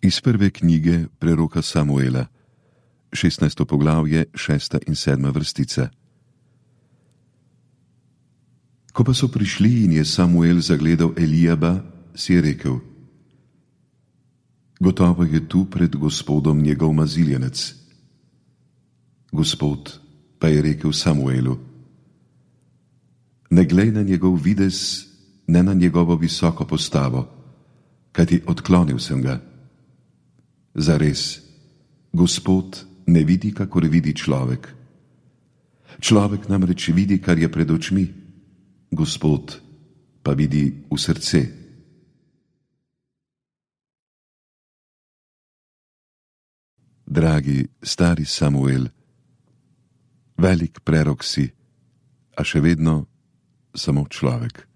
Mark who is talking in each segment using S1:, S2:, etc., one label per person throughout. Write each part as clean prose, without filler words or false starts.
S1: Iz prve knjige preroka Samuela, 16. poglavje, 6. in 7. vrstica. Ko pa so prišli in je Samuel zagledal Elijaba, si je rekel: Gotovo je tu pred Gospodom njegov maziljenec. Gospod pa je rekel Samuelu: Ne glej na njegov videz, ne na njegovo visoko postavo, kajti odklonil sem ga. Zares, Gospod ne vidi, kakor vidi človek. Človek namreč vidi, kar je pred očmi, Gospod pa vidi v srce. Dragi stari Samuel, velik prerok si, a še vedno samo človek.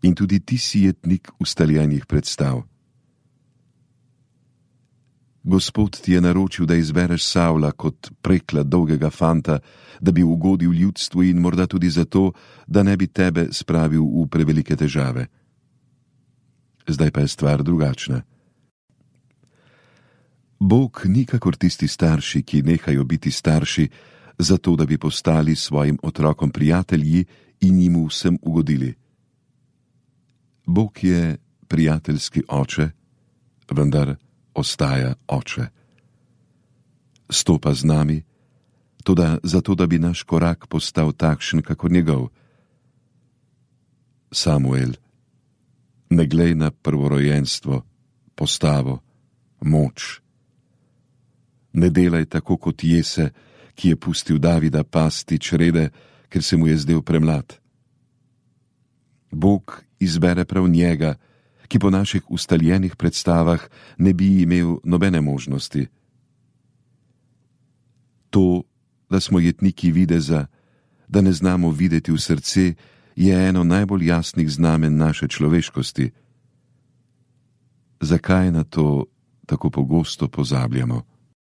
S1: In tudi ti si jetnik ustaljenih predstav. Gospod ti je naročil, da izbereš Savla kot prekla dolgega fanta, da bi ugodil ljudstvu in morda tudi zato, da ne bi tebe spravil v prevelike težave. Zdaj pa je stvar drugačna. Bog ni kakor tisti starši, ki nehajo biti starši, zato da bi postali svojim otrokom prijatelji in jim vsem ugodili. Bog je prijateljski oče, vendar ostaja oče. Stopa z nami, toda zato, da bi naš korak postal takšen, kakor njegov. Samuel, ne glej na prvorojenstvo, postavo, moč. Ne delaj tako kot Jese, ki je pustil Davida pasti črede, ker se mu je zdel premlad. Bog izbere prav njega, ki po naših ustaljenih predstavah ne bi imel nobene možnosti. To, da smo jetniki videza, da ne znamo videti v srce, je eno najbolj jasnih znamen naše človeškosti. Zakaj na to tako pogosto pozabljamo?